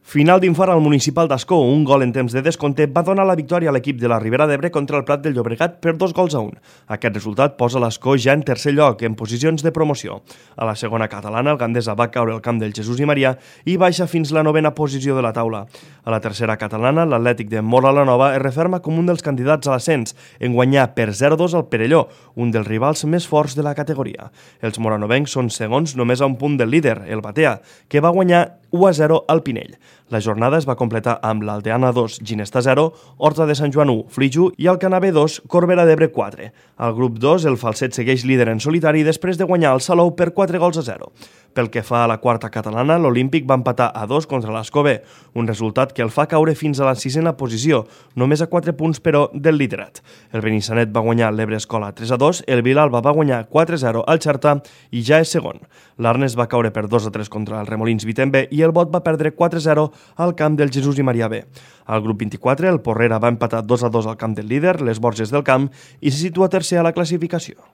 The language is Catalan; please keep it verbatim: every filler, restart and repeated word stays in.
Final d'infart al municipal d'Ascó. Un gol en temps de descompte va donar la victòria a l'equip de la Ribera d'Ebre contra el Prat del Llobregat per dos gols a un. Aquest resultat posa l'Ascó ja en tercer lloc, en posicions de promoció. A la segona catalana, el Gandesa va caure al camp del Jesús i Maria i baixa fins la novena posició de la taula. A la tercera catalana, l'Atlètic de Móra la Nova es referma com un dels candidats a l'ascens, en guanyar per zero a dos al Perelló, un dels rivals més forts de la categoria. Els moranovencs són segons només a un punt del líder, el Batea, que va guanyar u a zero al Pinell. La jornada es va completar amb l'Aldeana dos, Ginesta zero, Horta de Sant Joan u, Flix u i el Canabé dos, Corbera d'Ebre quatre. Al grup dos, el Falset segueix líder en solitari després de guanyar el Salou per quatre gols a zero. Pel que fa a la quarta catalana, l'Olímpic va empatar a dos contra l'Escobé, un resultat que el fa caure fins a la sisena posició, només a quatre punts però del liderat. El Benissanet va guanyar l'Ebre Escola tres a dos, el Vilalba va guanyar quatre a zero al Xerta i ja és segon. L'Arnes va caure per dos a tres contra el Remolins Vitem B i el Bot va perdre quatre a zero al camp del Jesús i Maria B. Al grup vint-i-quatre, el Porrera va empatar dos a dos al camp del líder, les Borges del Camp, i se situa tercer a la classificació.